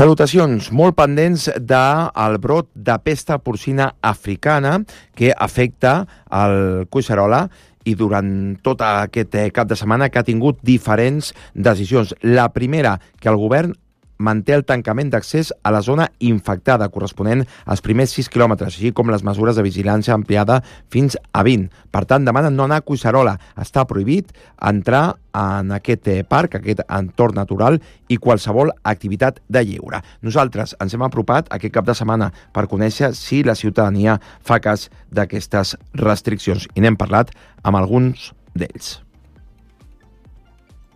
Salutacions, molt pendents del brot de pesta porcina africana que afecta el Collserola i durant tot aquest cap de setmana que ha tingut diferents decisions. La primera, que el govern manté el tancament d'accés a la zona infectada, corresponent als primers 6 quilòmetres, així com les mesures de vigilància ampliada fins a 20. Per tant, demanen no anar a Collserola. Està prohibit entrar en aquest parc, aquest entorn natural i qualsevol activitat de lleure. Nosaltres ens hem apropat aquest cap de setmana per conèixer si la ciutadania fa cas d'aquestes restriccions i n'hem parlat amb alguns d'ells.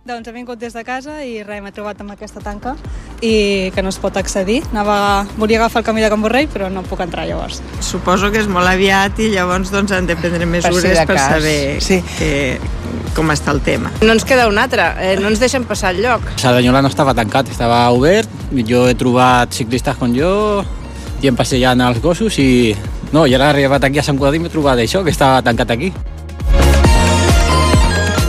Doncs he vingut des de casa i res, m'he trobat amb aquesta tanca i que no es pot accedir. Volia agafar el camí de Can Borrell, però no puc entrar llavors. Suposo que és molt aviat i llavors han de prendre mesures per saber com està el tema. No ens queda un altre, no ens deixen passar el lloc. Cerdanyola no estava tancat, estava obert. Jo he trobat ciclistes com jo i em passejant els gossos i ara he arribat aquí a Sant Cugat i m'he trobat això, que estava tancat aquí.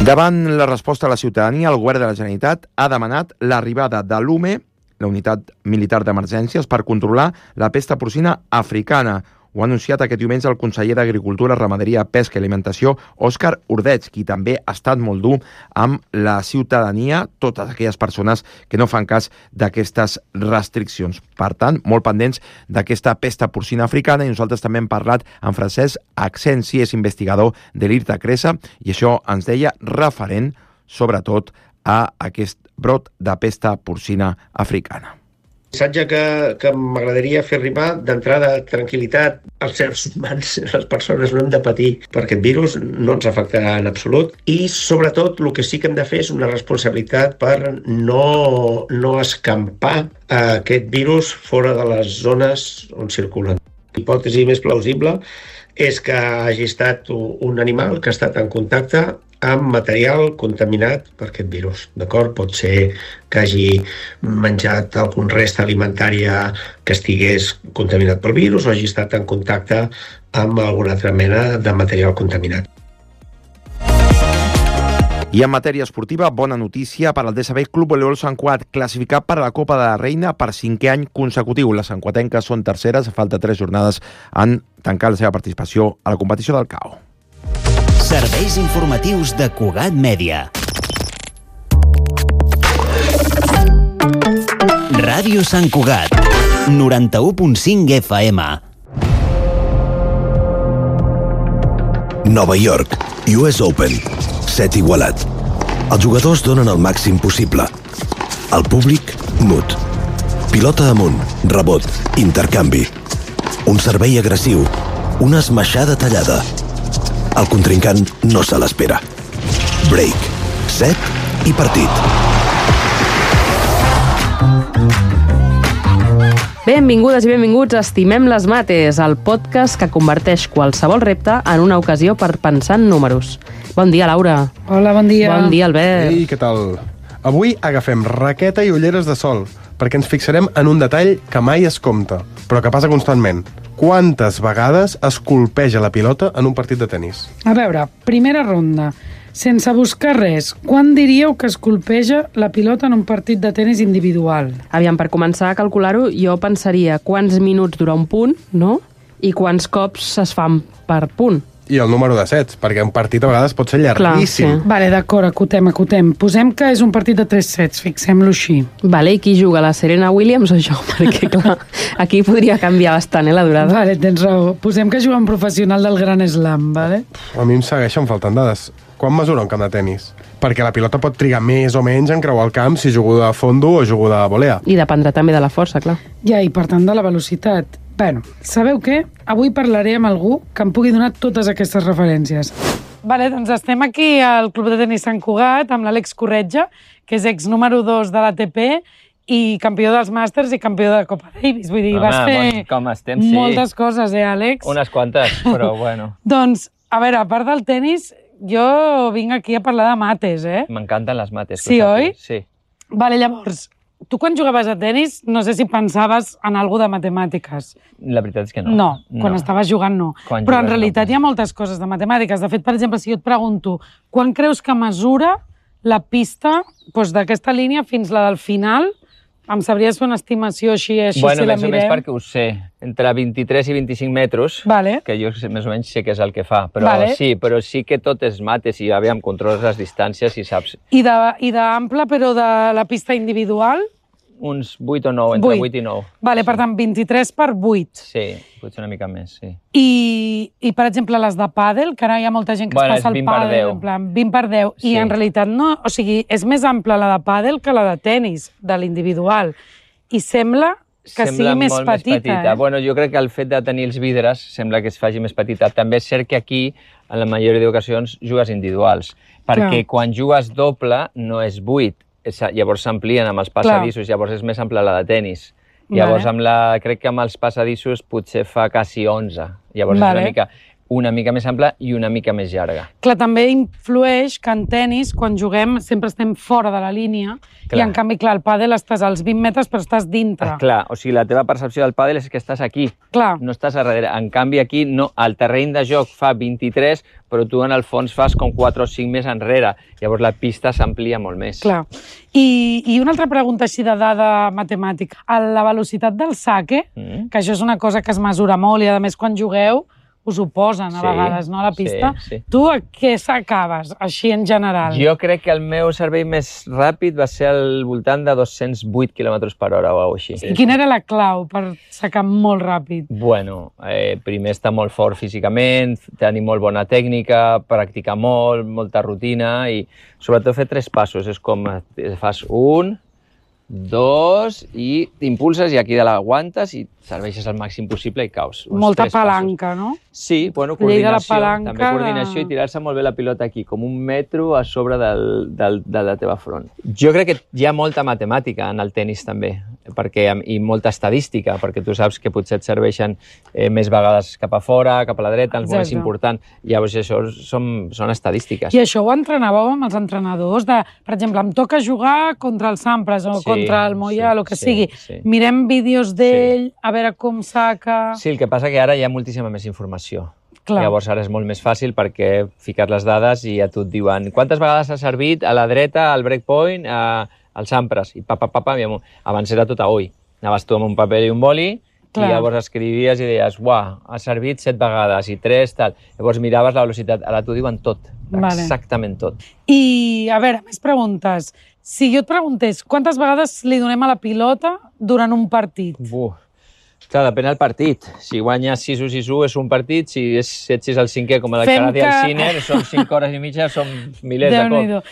Davant la resposta a la ciutadania, el govern de la Generalitat ha demanat l'arribada de l'UME, la Unitat Militar d'Emergències, per controlar la pesta porcina africana. Ho ha anunciat aquest diumenge el conseller d'Agricultura, Ramaderia, Pesca i Alimentació, Òscar Ordeig, qui també ha estat molt dur amb la ciutadania, totes aquelles persones que no fan cas d'aquestes restriccions. Per tant, molt pendents d'aquesta pesta porcina africana, i nosaltres també hem parlat amb Francesc Accensi, és investigador de l'IRTA Cresa, i això ens deia referent, sobretot, a aquest brot de pesta porcina africana. El missatge que m'agradaria fer arribar d'entrada tranquil·litat als éssers humans, les persones no hem de patir per aquest virus, no ens afectarà en absolut i sobretot el que sí que hem de fer és una responsabilitat per no escampar aquest virus fora de les zones on circulen. L'hipòtesi més plausible és que hagi estat un animal que ha estat en contacte amb material contaminat per aquest virus. D'acord? Pot ser que hagi menjat algun rest alimentària que estigués contaminat pel virus o hagi estat en contacte amb alguna altra mena de material contaminat. I en matèria esportiva, bona notícia per al DSB Club Voleibol Sant Cugat, classificat per a la Copa de la Reina per 5è any consecutiu. Les santcuatenques són terceres, a falta 3 jornades en tancar la seva participació a la competició del CAO. Serveis informatius de Cugat Mèdia. Ràdio Sant Cugat, 91.5 FM. Nova York, US Open. Set igualat. Els jugadors donen el màxim possible. El públic, mut. Pilota amunt, rebot, intercanvi. Un servei agressiu, una esmaixada tallada. El contrincant no se l'espera. Break, set i partit. Benvingudes i benvinguts a Estimem les Mates, el podcast que converteix qualsevol repte en una ocasió per pensar en números. Bon dia, Laura. Hola, bon dia. Bon dia, Albert. Ei, què tal? Avui agafem raqueta i ulleres de sol, perquè ens fixarem en un detall que mai es compta, però que passa constantment. Quantes vegades es colpeja la pilota en un partit de tenis? A veure, primera ronda. Sense buscar res, quan diríeu que es colpeja la pilota en un partit de tenis individual? Aviam, per començar a calcular-ho, jo pensaria quants minuts dura un punt, no? I quants cops es fan per punt. I el número de sets, perquè un partit a vegades pot ser llarguíssim. Clar, sí. Vale, d'acord, acotem. Posem que és un partit de 3 sets, fixem-lo així. Vale, i qui juga, la Serena Williams o jo? Perquè, clar, aquí podria canviar bastant, la durada. Vale, tens raó. Posem que juga un professional del Gran Slam, vale? A mi em segueixen faltant dades. Quan mesura un camp de tenis? Perquè la pilota pot trigar més o menys en creuar el camp si jugo de fondo o jugo de volea. I dependrà també de la força, clar. Ja, i per tant de la velocitat. Bueno, sabeu què? Avui parlaré amb algú que em pugui donar totes aquestes referències. Vale, doncs estem aquí al Club de Tenis Sant Cugat amb l'Àlex Corretja, que és ex número 2 de l'ATP i campió dels Màsters i campió de Copa Davis. Vull dir, vas fer com estem, sí. Moltes coses, Àlex? Unes quantes, però bueno. Doncs, a veure, a part del tenis, jo vinc aquí a parlar de mates, M'encanten les mates. Sí, oi? Sí. Vale, llavors, tu quan jugaves a tenis no sé si pensaves en alguna de matemàtiques. La veritat és que no. No, quan estaves jugant no. Però en realitat hi ha moltes coses de matemàtiques. De fet, per exemple, si jo et pregunto quan creus que mesura la pista d'aquesta línia fins la del final Em sabries fer una estimació així Bueno, si la més o menys mirem? perquè ho sé. Entre 23 i 25 metres, que jo més o menys sé què és el que fa. Però sí que tot és mates i, aviam, controles les distàncies i saps. I d'ample, però de la pista individual? Uns 8 o 9, entre 8 i 9. Vale, per tant, 23 per 8. Sí, potser una mica més, sí. I per exemple, les de pàdel, que ara hi ha molta gent que es passa al pàdel, en plan 20 per 10, i en realitat no, o sigui, és més ampla la de pàdel que la de tennis, de l'individual. I sembla que sigui més petita. Bueno, jo crec que el fet de tenir els vidres sembla que es faci més petita. També és cert que aquí, en la majoria d'ocasions, jugues individuals, perquè quan jugues doble no és 8, llavors s'amplien amb els passadissos, llavors és més ampla la de tennis. Llavors, crec que amb els passadissos potser fa quasi 11. Llavors és una mica més ampla i una mica més llarga. Clar, també influeix que en tennis, quan juguem, sempre estem fora de la línia i, en canvi, clar, al pàdel estàs als 20 metres però estàs dintre. Clar, o sigui, la teva percepció del pàdel és que estàs aquí, no estàs a darrere. En canvi, aquí, no, el terreny de joc fa 23, però tu, en el fons, fas com 4 o 5 més enrere. Llavors, la pista s'amplia molt més. Clar. I una altra pregunta així de dada matemàtica. La velocitat del saque, que això és una cosa que es mesura molt i, a més, quan jugueu, us ho posen a vegades, no, a la pista. Tu a què s'acabes, així en general? Jo crec que el meu servei més ràpid va ser al voltant de 208 km per hora o alguna cosa així. I quina era la clau per sacar molt ràpid? Bueno, primer estar molt fort físicament, tenir molt bona tècnica, practicar molt, molta rutina i sobretot fer 3 passos. És com fas 1, 2 i t'impulses i aquí de l'aguantes i serveixes al màxim possible i caus. Molta palanca, no? Sí, bueno, coordinació. També coordinació i tirar-se molt bé la pilota aquí, com 1 metro a sobre de la teva front. Jo crec que hi ha molta matemàtica en el tenis també, i molta estadística, perquè tu saps que potser et serveixen més vegades cap a fora, cap a la dreta, el moment és important. Llavors això són estadístiques. I això ho entrenàveu amb els entrenadors? Per exemple, em toca jugar contra el Sampras o contra el Moya, el que sigui. Mirem vídeos d'ell, a veure com saca... Sí, el que passa que ara hi ha moltíssima més informació. Llavors ara és molt més fàcil perquè fiques les dades i ja tu et diuen quantes vegades has servit a la dreta, al breakpoint, al Sampras, i abans era tot a ull. Anaves tu amb un paper i un boli i llavors escrivies i deies, uah, has servit 7 vegades i 3, tal. Llavors miraves la velocitat, ara t'ho diuen tot, exactament tot. I, a veure, més preguntes. Si jo et preguntés, quantes vegades li donem a la pilota durant un partit? Clar, depèn del partit. Si guanyes 6-1, és un partit. Si és 7-6 al 5è, com el Alcaraz i el Sinner, són 5 hores i mitja, són milers de cops.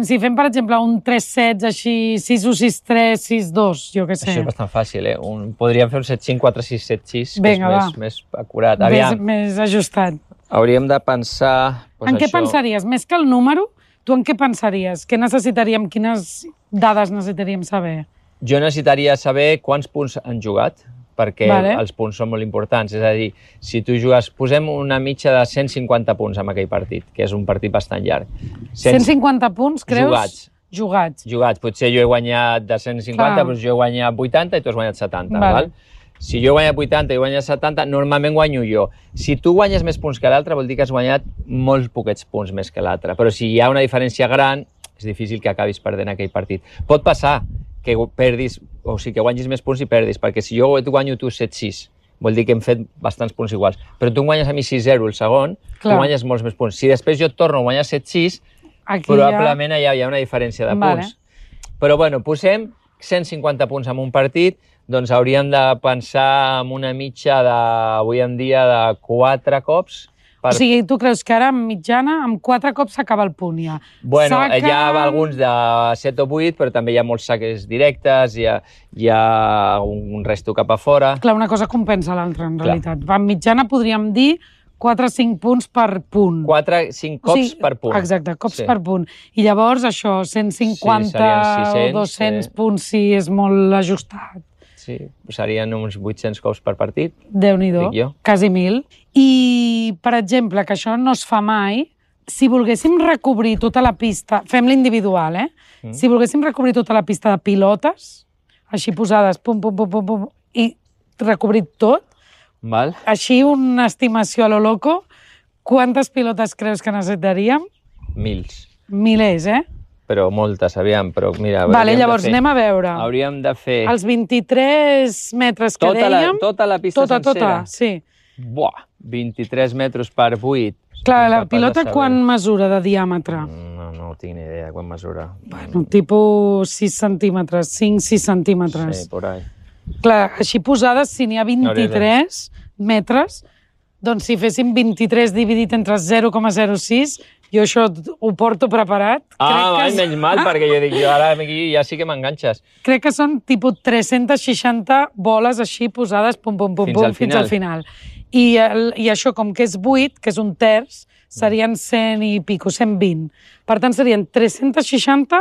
Si fem, per exemple, un 3-7, així, 6-1, 6-3, 6-2, jo què sé. Això és bastant fàcil, Podríem fer un 7-5, 4-6, 7-6, que és més acurat. Més ajustat. Hauríem de pensar... En què pensaries? Més que el número, tu en què pensaries? Què necessitaríem? Quines dades necessitaríem saber? Jo necessitaria saber quants punts han jugat, perquè els punts són molt importants. És a dir, si tu jugues... Posem una mitja de 150 punts en aquell partit, que és un partit bastant llarg. 150 punts, creus? Jugats. Potser jo he guanyat de 150, doncs jo he guanyat 80 i tu has guanyat 70, val? Si jo he guanyat 80 i guanyat 70, normalment guanyo jo. Si tu guanyes més punts que l'altre, vol dir que has guanyat molts poquets punts més que l'altre. Però si hi ha una diferència gran, és difícil que acabis perdent aquell partit. Pot passar que perdis, o sigui, que guanyis més punts i perdis, perquè si jo et guanyo tu 7-6, vol dir que hem fet bastants punts iguals. Però tu guanyes a mi 6-0 el segon, tu guanyes molts més punts. Si després jo et torno a guanyar 7-6, probablement hi ha una diferència de punts. Però, bueno, posem 150 punts en un partit, doncs hauríem de pensar en una mitja avui en dia de 4 cops. O sigui, tu creus que ara, en mitjana, amb 4 cops s'acaba el punt, ja? Bueno, hi ha alguns de 7 o 8, però també hi ha molts saques directes, hi ha un resto cap a fora... Clar, una cosa compensa l'altra, en realitat. En mitjana podríem dir 4 o 5 punts per punt. 4 o 5 cops per punt. Exacte, cops per punt. I llavors, això, 150 o 200 punts, si és molt ajustat. Sí, serien uns 800 cops per partit. Déu-n'hi-do, quasi 1.000. I, per exemple, que això no es fa mai, si volguéssim recobrir tota la pista, fem l'individual, Si volguéssim recobrir tota la pista de pilotes, així posades, pum, pum, pum, pum, pum, i recobrir tot, així una estimació a lo loco, quantes pilotes creus que necessitaríem? Milers. Milers, però moltes, aviam, però mira... Vale, llavors anem a veure. Hauríem de fer... Els 23 metres que dèiem... Tota la pista sencera? Tota, sí. Buah, 23 metres per 8. Clar, la pilota quan mesura de diàmetre? No tinc ni idea quan mesura. Bueno, tipus 6 centímetres, 5-6 centímetres. Sí, por ahí. Clar, així posades, si n'hi ha 23 metres, doncs si féssim 23 dividit entre 0,06, jo això ho porto preparat. Menys mal, perquè jo dic, ara ja sí que m'enganxes. Crec que són tipus 360 boles així posades, pum, fins al final. I això, com que és 8, que és un terç, serien 100 i pico, 120. Per tant, serien 360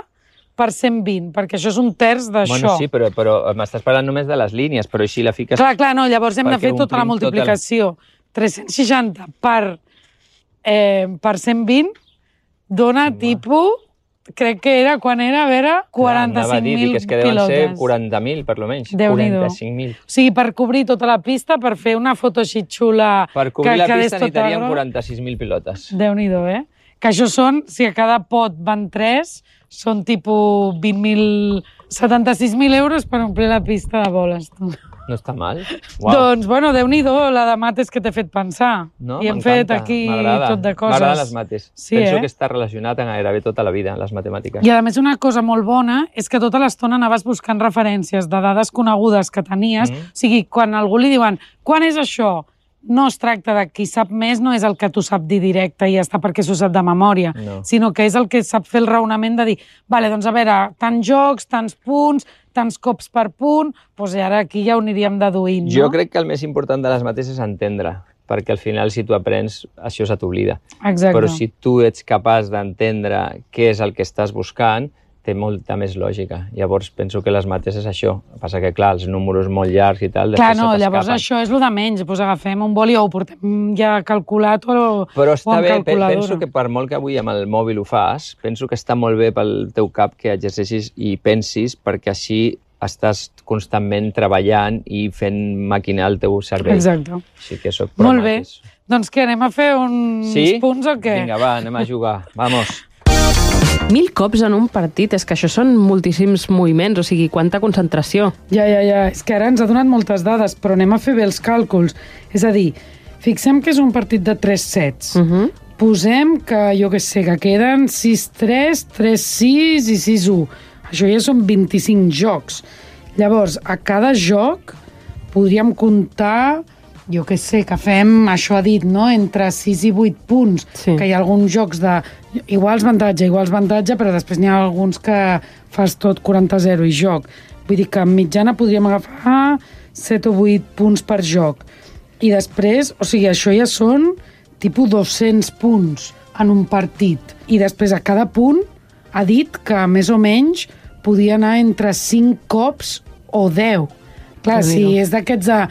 per 120, perquè això és un terç d'això. Bueno, sí, però m'estàs parlant només de les línies, però així la fiques... Clar, no, llavors hem de fer tota la multiplicació. 360 per 120 dona tipus... Crec que era, quan era, a veure, 45.000 pilotes. És que deuen ser 40.000, per lo menys. 45.000. O sigui, per cobrir tota la pista, per fer una foto així xula... Per cobrir la pista necessitaríem 46.000 pilotes. Déu-n'hi-do, Que això són, si a cada pot van 3, són tipus 76.000 euros per omplir la pista de boles. No està mal. Doncs, bueno, Déu-n'hi-do, la de mates que t'he fet pensar. No, I hem fet aquí tot de coses. M'agraden les mates. Penso que està relacionat amb gairebé tota la vida, les matemàtiques. I a més una cosa molt bona és que tota l'estona anaves buscant referències de dades conegudes que tenies. O sigui, quan a algú li diuen, quan és això? No es tracta de qui sap més, no és el que t'ho sap dir directe i ja està perquè s'ho sap de memòria, sinó que és el que sap fer el raonament de dir, vale, doncs a veure, tants jocs, tants punts, tants cops per punt, doncs ara aquí ja ho aniríem deduint, no? Jo crec que el més important de les mates és entendre, perquè al final si tu aprens, això se t'oblida. Exacte. Però si tu ets capaç d'entendre què és el que estàs buscant, té molta més lògica. Llavors penso que les mates és això. El que passa que, clar, els números molt llargs i tal, després se t'escapen. Llavors això és el de menys. Doncs agafem un boli o ho portem ja calculat o Però està bé, penso que per molt que avui amb el mòbil ho fas, penso que està molt bé pel teu cap que exerceixis i pensis, perquè així estàs constantment treballant i fent maquinar el teu cervell. Exacte. Així que soc pro molt bé. Doncs què, anem a fer uns punts o què? Vinga, va, anem a jugar. Vamos. 1000 cops en un partit, és que això són moltíssims moviments, o sigui, quanta concentració. Ja, és que ara ens ha donat moltes dades, però anem a fer bé els càlculs. És a dir, fixem que és un partit de 3 sets. Posem que, jo què sé, que queden 6-3, 3-6 i 6-1. Això ja són 25 jocs. Llavors, a cada joc podríem comptar, jo què sé, que fem, això ha dit, no?, entre 6 i 8 punts, que hi ha alguns jocs de iguals avantatge, però després n'hi ha alguns que fas tot 40-0 i joc. Vull dir que en mitjana podríem agafar 7 o 8 punts per joc. I després, o sigui, això ja són tipus 200 punts en un partit. I després a cada punt ha dit que més o menys podia anar entre 5 cops o 10. Clar, si és d'aquests de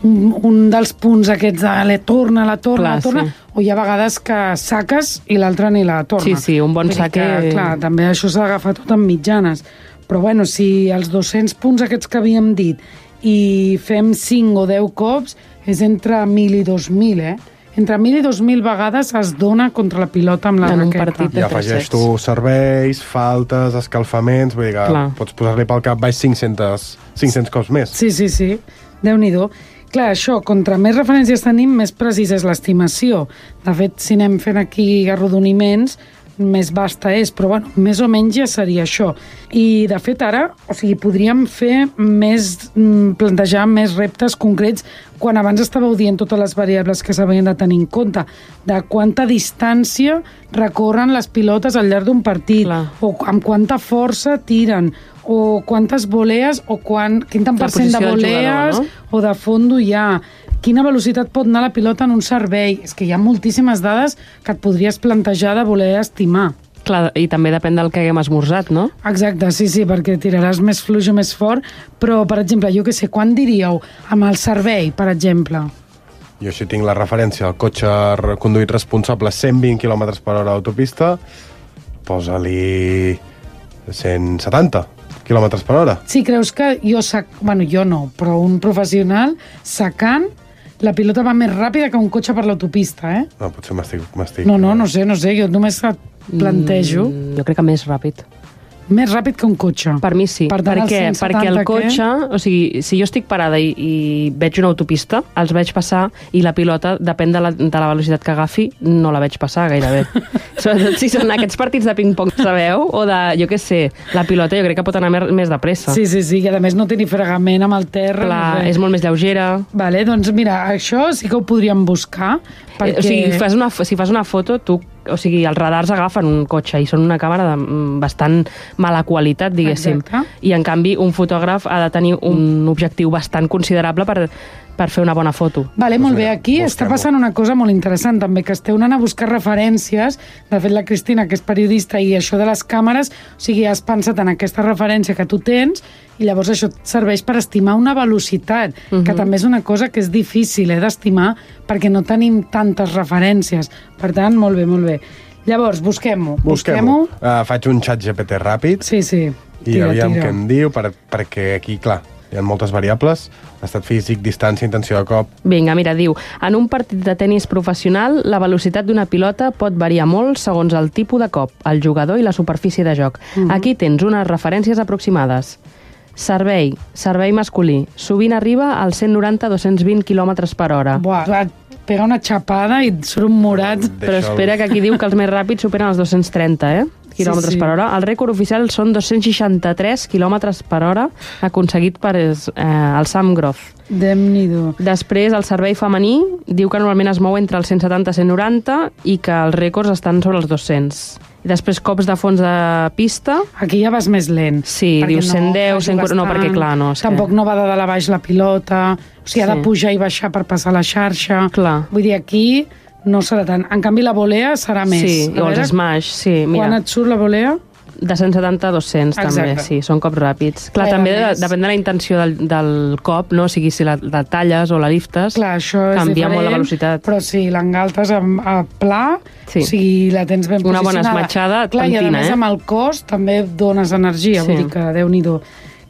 un dels punts aquests de la torna, o hi ha vegades que saques i l'altre ni la torna. Sí, un bon saque... Clar, també això s'ha d'agafar tot en mitjanes. Però bueno, si els 200 punts aquests que havíem dit i fem 5 o 10 cops, és entre 1.000 i 2.000, Entre 1.000 i 2.000 vegades es dona contra la pilota amb la raqueta. I afegeix tu serveis, faltes, escalfaments, vull dir que pots posar-li pel cap baix 500 cops més. Sí. Déu-n'hi-do. Clar, això, contra més referències tenim, més precisa és l'estimació. De fet, si anem fent aquí arrodoniments, més vasta és, però bueno, més o menys ja seria això. I, de fet, ara, o sigui, podríem fer plantejar més reptes concrets quan abans estàveu dient totes les variables que s'havien de tenir en compte, de quanta distància recorren les pilotes al llarg d'un partit, o amb quanta força tiren, o quantes volees, o quin tant % de volees o de fondo hi ha, quina velocitat pot anar la pilota en un servei. És que hi ha moltíssimes dades que et podries plantejar de voler estimar. Clar, i també depèn del que haguem esmorzat, no? Exacte, sí, perquè tiraràs més fluix o més fort, però, per exemple, jo què sé, quan diríeu amb el servei, per exemple? Jo així tinc la referència al cotxe conduït responsable 120 km per hora d'autopista, posa-li 170 km per hora. Sí, creus que jo no, però un professional sacant, la pilota va més ràpida que un cotxe per l'autopista, No, potser m'estic... No sé, jo només et plantejo. Jo crec que més ràpid. Més ràpid que un cotxe. Per mi sí. Per tant, perquè el cotxe, o sigui, si jo estic parada i veig una autopista, els veig passar i la pilota, depèn de la velocitat que agafi, no la veig passar gairebé. Sobretot si són aquests partits de ping-pong, sabeu? O de, jo què sé, la pilota jo crec que pot anar més de pressa. Sí, i a més no té ni fregament amb el terra. Clar, és molt més lleugera. Vale, doncs mira, això sí que ho podríem buscar. Perquè... O sigui, si fas una foto, o sigui, els radars agafen un cotxe i són una càmera de bastant mala qualitat, diguéssim. Exacte. I, en canvi, un fotògraf ha de tenir un objectiu bastant considerable per fer una bona foto. Vale, molt bé. Aquí està passant una cosa molt interessant, també, que esteu anant a buscar referències. De fet, la Cristina, que és periodista, i això de les càmeres, o sigui, has pensat en aquesta referència que tu tens, i llavors això et serveix per estimar una velocitat, que també és una cosa que és difícil d'estimar, perquè no tenim tantes referències. Per tant, molt bé, molt bé. Llavors, busquem-ho. Faig un xat GPT ràpid. Sí. I aviam què em diu, perquè aquí, clar, hi ha moltes variables, estat físic, distància, intenció de cop... Vinga, mira, diu, en un partit de tennis professional, la velocitat d'una pilota pot variar molt segons el tipus de cop, el jugador i la superfície de joc. Aquí tens unes referències aproximades. Servei masculí. Sovint arriba als 190-220 km per hora. Buah, pega una xapada i surt un morat. Però espera, que aquí diu que els més ràpids superen els 230, quilòmetres per hora. El rècord oficial són 263 quilòmetres per hora aconseguit per el Sam Groth. Déu-n'hi-do. Després, el servei femení diu que normalment es mou entre els 170 i 190 i que els rècords estan sobre els 200. I després cops de fons de pista. Aquí ja vas més lent. Sí, diu 110, 140... No, perquè clar, no. Tampoc no va de dalt a baix la pilota, o sigui, ha de pujar i baixar per passar la xarxa. Clar. Vull dir, aquí no serà tant. En canvi, la volea serà més. Sí, o els smash, sí. Quan et surt la volea? De 170 a 200, també, sí, són cops ràpids. Clar, també depèn de la intenció del cop, no? O sigui, si la talles o la liftes, canvia molt la velocitat. Però si l'engaltes a pla, o sigui, la tens ben posicionada. Una bona esmatxada et pentina, i a més amb el cos també dones energia, vull dir que Déu-n'hi-do.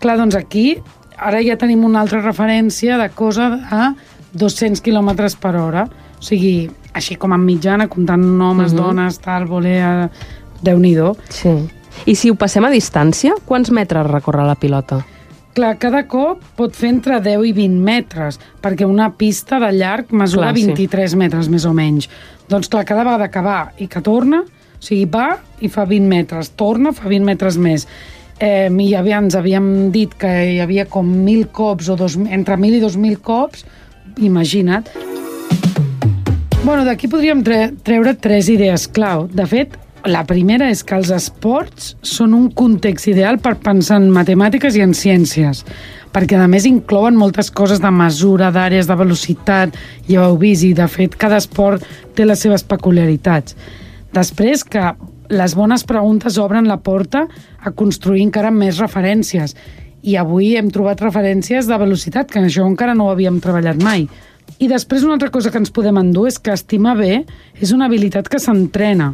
Clar, doncs aquí, ara ja tenim una altra referència de cosa a 200 km per hora. O sigui, així com en mitjana, comptant homes, dones, tal, volea... Déu-n'hi-do. Sí. I si ho passem a distància, quants metres recorre la pilota? Clar, cada cop pot fer entre 10 i 20 metres, perquè una pista de llarg mesura 23 metres, més o menys. Doncs clar, cada vegada que va i que torna, o sigui, va i fa 20 metres, torna, fa 20 metres més. I ens havíem dit que hi havia com 1.000 cops, o entre 1.000 i 2.000 cops, imagina't. Bueno, d'aquí podríem treure 3 idees clau. De fet, la primera és que els esports són un context ideal per pensar en matemàtiques i en ciències, perquè a més inclouen moltes coses de mesura, d'àrees de velocitat, ja ho heu vist, i de fet cada esport té les seves peculiaritats. Després que les bones preguntes obren la porta a construir encara més referències, i avui hem trobat referències de velocitat, que això encara no ho havíem treballat mai. I després una altra cosa que ens podem endur és que estimar bé és una habilitat que s'entrena,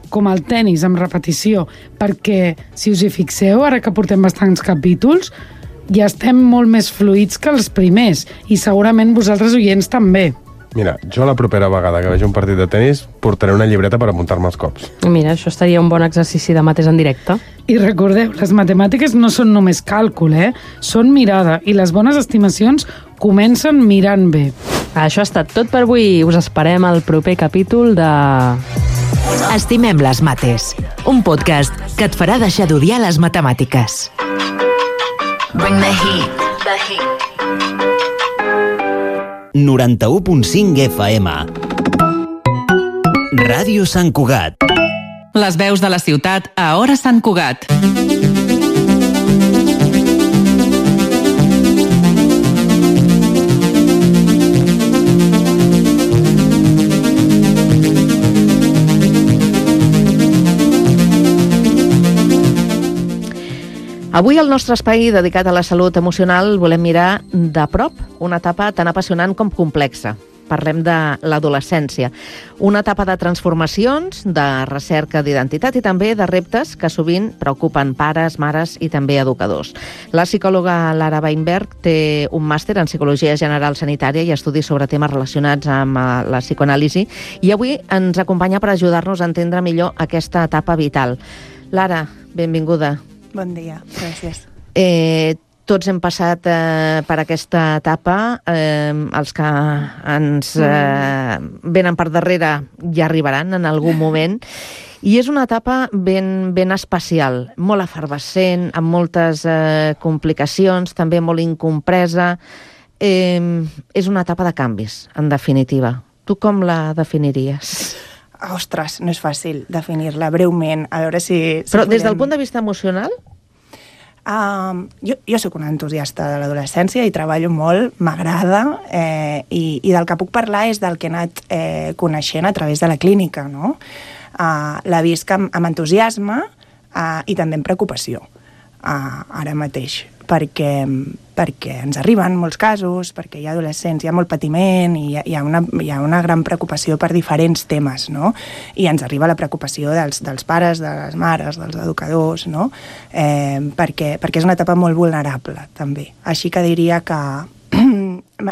com el tennis, amb repetició, perquè, si us hi fixeu, ara que portem bastants capítols, ja estem molt més fluïts que els primers, i segurament vosaltres, oients, també. Mira, jo la propera vegada que vegi un partit de tennis portaré una llibreta per apuntar-me els cops. Mira, això estaria un bon exercici de mates en directe. I recordeu, les matemàtiques no són només càlcul, són mirada, i les bones estimacions comencen mirant bé. Això ha estat tot per avui. Us esperem al proper capítol de... Estimem les mates, un podcast que et farà deixar d'odiar les matemàtiques. Bring the heat, the heat. 91.5 FM. Ràdio Sant Cugat. Les veus de la ciutat a Hora Sant Cugat. Avui al nostre espai dedicat a la salut emocional volem mirar de prop una etapa tan apassionant com complexa, parlem de l'adolescència. Una etapa de transformacions, de recerca d'identitat i també de reptes que sovint preocupen pares, mares i també educadors. La psicòloga Lara Weinberg té un màster en Psicologia General Sanitària i estudis sobre temes relacionats amb la psicoanàlisi i avui ens acompanya per ajudar-nos a entendre millor aquesta etapa vital. Lara, benvinguda. Bon dia, gràcies. Tots hem passat per aquesta etapa, els que ens venen per darrere ja arribaran en algun moment, i és una etapa ben especial, molt efervescent, amb moltes complicacions, també molt incompresa. És una etapa de canvis, en definitiva. Tu com la definiries? Ostres, no és fàcil definir-la breument, a veure si Però des del punt de vista emocional? Jo sóc una entusiasta de l'adolescència i treballo molt, m'agrada, i del que puc parlar és del que he anat coneixent a través de la clínica, no? La visc amb entusiasme i també amb preocupació, ara mateix, perquè ens arriben molts casos, perquè hi ha adolescents, hi ha molt patiment i hi ha una gran preocupació per diferents temes, no? I ens arriba la preocupació dels pares, de les mares, dels educadors, no? Perquè és una etapa molt vulnerable, també. Així que diria que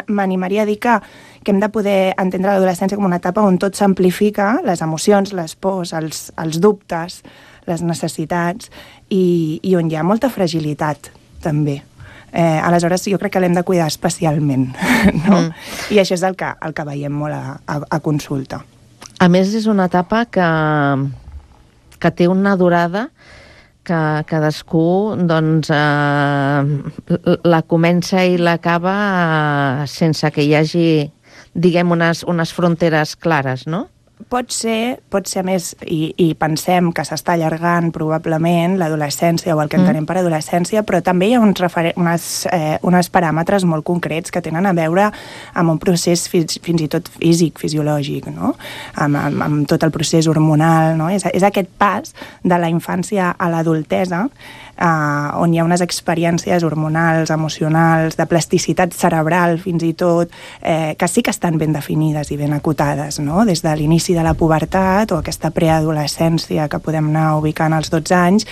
m'animaria a dir que hem de poder entendre l'adolescència com una etapa on tot s'amplifica, les emocions, les pors, els dubtes, les necessitats, i on hi ha molta fragilitat, també. Aleshores, jo crec que l'hem de cuidar especialment, no? I això és el que veiem molt a consulta. A més, és una etapa que té una durada que cadascú doncs, la comença i l'acaba sense que hi hagi, diguem, unes fronteres clares, no? Pot ser a més, i pensem que s'està allargant probablement l'adolescència o el que entenem per adolescència, però també hi ha uns paràmetres molt concrets que tenen a veure amb un procés fins i tot físic, fisiològic, no? Amb tot el procés hormonal, no? És aquest pas de la infància a l'adultesa on hi ha unes experiències hormonals, emocionals, de plasticitat cerebral fins i tot, que sí que estan ben definides i ben acotades, no? Des de l'inici de la pubertat o aquesta preadolescència que podem anar ubicant als 12 anys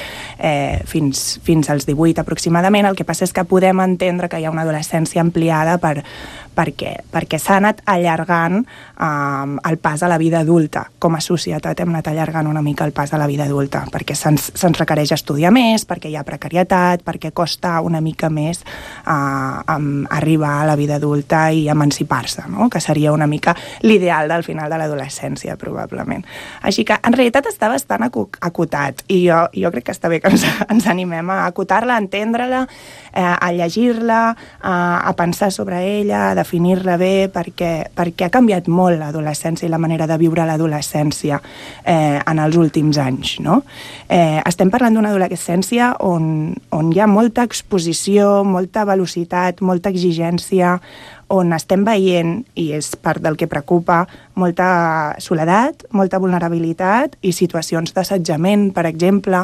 fins als 18 aproximadament. El que passa és que podem entendre que hi ha una adolescència ampliada perquè s'ha anat allargant el pas a la vida adulta. Com a societat hem anat allargant una mica el pas a la vida adulta, perquè se'ns requereix estudiar més, perquè hi ha precarietat, perquè costa una mica més arribar a la vida adulta i emancipar-se, no? Que seria una mica l'ideal del final de l'adolescència, probablement. Així que, en realitat, està bastant acotat, i jo crec que està bé que ens animem a acotar-la, a entendre-la, a llegir-la, a pensar sobre ella, a definir-la bé, perquè ha canviat molt l'adolescència i la manera de viure l'adolescència en els últims anys, no? Estem parlant d'una adolescència on hi ha molta exposició, molta velocitat, molta exigència, on estem veient, i és part del que preocupa, molta soledat, molta vulnerabilitat i situacions d'assetjament, per exemple.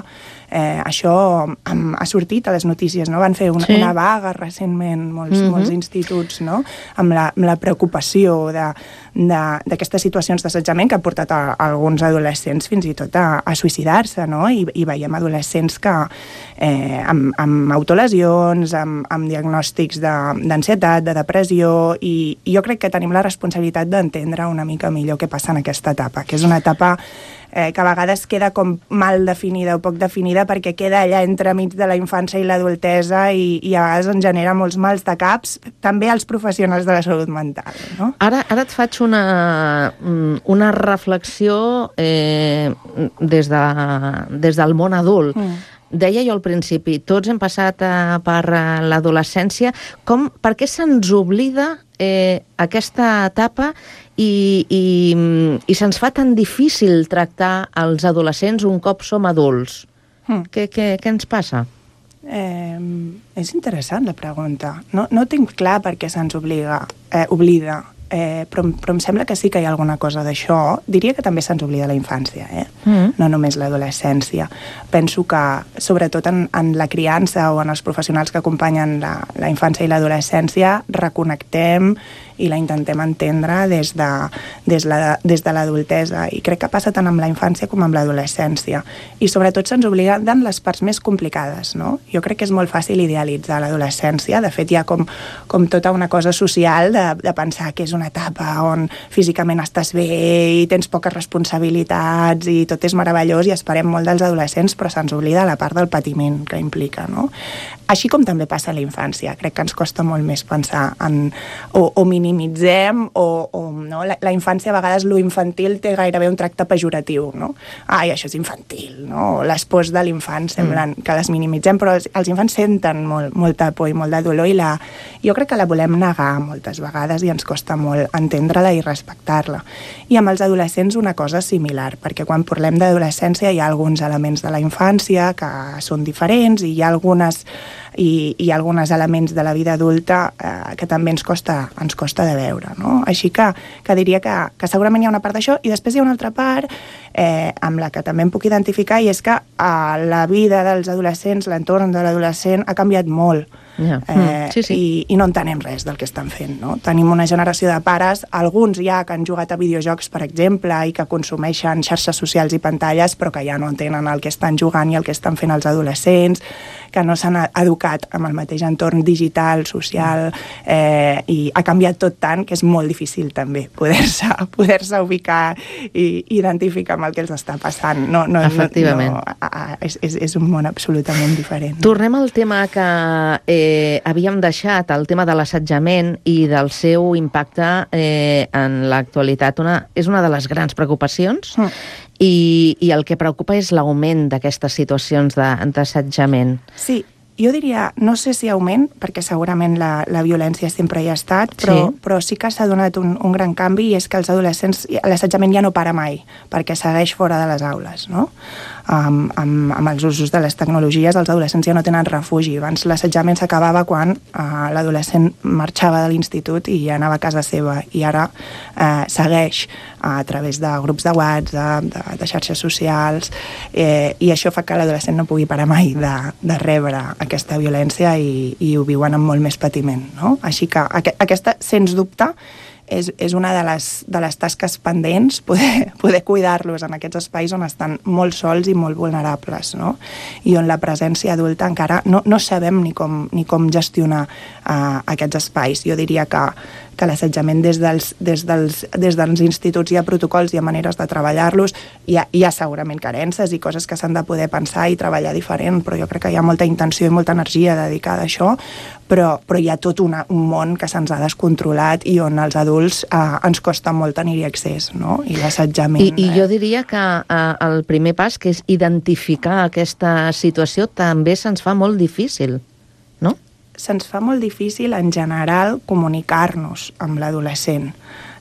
Això ha sortit a les notícies, no? Van fer una vaga recentment molts instituts, no? Amb la preocupació d'aquestes situacions d'assetjament que ha portat a alguns adolescents fins i tot a suïcidar-se, no? I veiem adolescents que amb autolesions, amb diagnòstics d'ansietat, de depressió, i jo crec que tenim la responsabilitat d'entendre una mica millor què passa en aquesta etapa, que és una etapa que a vegades queda com mal definida o poc definida perquè queda allà entremig de la infància i l'adultesa i a vegades ens genera molts mals de caps, també als professionals de la salut mental, no? Ara et faig una reflexió des del món adult. Deia jo al principi, tots hem passat per l'adolescència. Per què se'ns oblida aquesta etapa i se'ns fa tan difícil tractar els adolescents un cop som adults? Què ens passa? És interessant la pregunta. No tinc clar per què se'ns oblida. Però em sembla que sí que hi ha alguna cosa d'això. Diria que també se'ns oblida la infància, no només l'adolescència. Penso que, sobretot en la criança o en els professionals que acompanyen la infància i l'adolescència, reconnectem i la intentem entendre des de l'adultesa. I crec que passa tant amb la infància com amb l'adolescència. I sobretot se'ns obliden les parts més complicades, no? Jo crec que és molt fàcil idealitzar l'adolescència. De fet, hi ha com tota una cosa social de pensar que és una etapa on físicament estàs bé i tens poques responsabilitats i tot és meravellós i esperem molt dels adolescents, però se'ns oblida la part del patiment que implica, no? Així com també passa a la infància. Crec que ens costa molt més pensar en o minimitzem no? La infància, a vegades, lo infantil té gairebé un tracte pejoratiu, no? Ai, això és infantil, no? Les pors de l'infant semblen que les minimitzem, però els infants senten molta por i molt de dolor i jo crec que la volem negar moltes vegades i ens costa molt entendre-la i respectar-la. I amb els adolescents una cosa similar, perquè quan parlem d'adolescència hi ha alguns elements de la infància que són diferents i hi ha alguns elements de la vida adulta que també ens costa de veure, no? Així que diria que segurament hi ha una part d'això i després hi ha una altra part amb la que també em puc identificar i és que la vida dels adolescents, l'entorn de l'adolescent ha canviat molt. I no entenem res del que estan fent, no? Tenim una generació de pares, alguns ja que han jugat a videojocs, per exemple, i que consumeixen xarxes socials i pantalles, però que ja no entenen el que estan jugant i el que estan fent els adolescents, que no s'han educat amb el mateix entorn digital, social, i ha canviat tot tant que és molt difícil també poder-se ubicar i identificar amb el que els està passant. Efectivament. És un món absolutament diferent. Tornem al tema que havíem deixat, el tema de l'assetjament i del seu impacte en l'actualitat. És una de les grans preocupacions i el que preocupa és l'augment d'aquestes situacions d'assetjament. Sí, jo diria, no sé si augment, perquè segurament la violència sempre hi ha estat, però sí que s'ha donat un gran canvi i és que els adolescents, l'assetjament ja no para mai, perquè segueix fora de les aules, no? Amb els usos de les tecnologies, els adolescents ja no tenen refugi. Abans l'assetjament s'acabava quan l'adolescent marxava de l'institut i ja anava a casa seva, i ara segueix a través de grups de WhatsApp, de xarxes socials, i això fa que l'adolescent no pugui parar mai de rebre aquesta violència i ho viuen amb molt més patiment, no? Així que aquesta, sens dubte, és una de les tasques pendents, poder cuidar-los en aquests espais on estan molt sols i molt vulnerables, no? I on la presència adulta encara no sabem ni com gestionar aquests espais. Jo diria que l'assetjament des dels instituts hi ha protocols, hi ha maneres de treballar-los, hi ha segurament carences i coses que s'han de poder pensar i treballar diferent, però jo crec que hi ha molta intenció i molta energia dedicada a això, però hi ha tot un món que se'ns ha descontrolat i on els adults ens costa molt tenir-hi accés, no? I l'assetjament... I jo diria que el primer pas, que és identificar aquesta situació, també se'ns fa molt difícil, no? Se'ns fa molt difícil, en general, comunicar-nos amb l'adolescent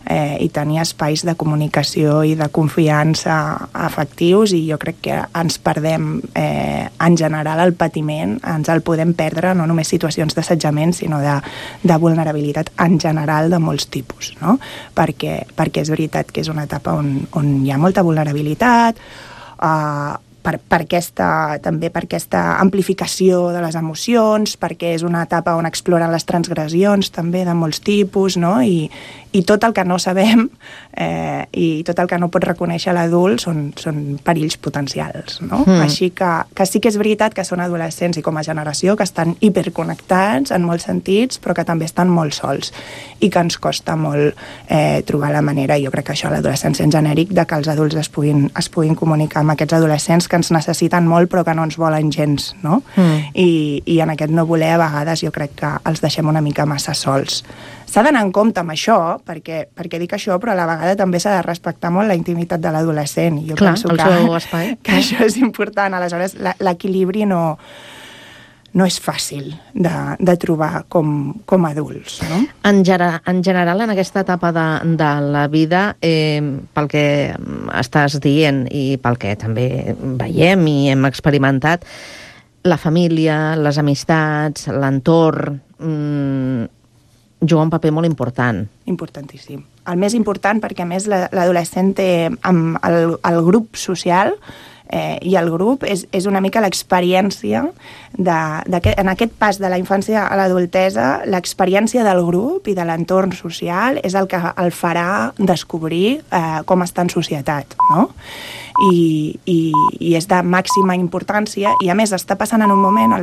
i tenir espais de comunicació i de confiança afectius, i jo crec que ens perdem, en general, el patiment, ens el podem perdre, no només situacions d'assetjament, sinó de vulnerabilitat en general de molts tipus, no? Perquè és veritat que és una etapa on hi ha molta vulnerabilitat, també per aquesta amplificació de les emocions, perquè és una etapa on exploren les transgressions també de molts tipus, no? I tot el que no sabem i tot el que no pot reconèixer l'adult són perills potencials, no? Així que sí que és veritat que són adolescents i com a generació que estan hiperconnectats en molts sentits, però que també estan molt sols i que ens costa molt trobar la manera, jo crec que això a l'adolescència en genèric, de que els adults es puguin comunicar amb aquests adolescents que ens necessiten molt però que no ens volen gens, no? I en aquest no voler a vegades jo crec que els deixem una mica massa sols. S'ha d'anar en compte amb això, perquè dic això, però a la vegada també s'ha de respectar molt la intimitat de l'adolescent. Jo penso que això és important. Aleshores, l'equilibri no és fàcil de trobar com adults, no? En general, en aquesta etapa de la vida, pel que estàs dient i pel que també veiem i hem experimentat, la família, les amistats, l'entorn, juga un paper molt important. Importantíssim. El més important perquè, a més, l'adolescent té el grup social i el grup és una mica l'experiència en aquest pas de la infància a l'adultesa, l'experiència del grup i de l'entorn social és el que el farà descobrir com està en societat, no? I és de màxima importància i a més està passant en un moment on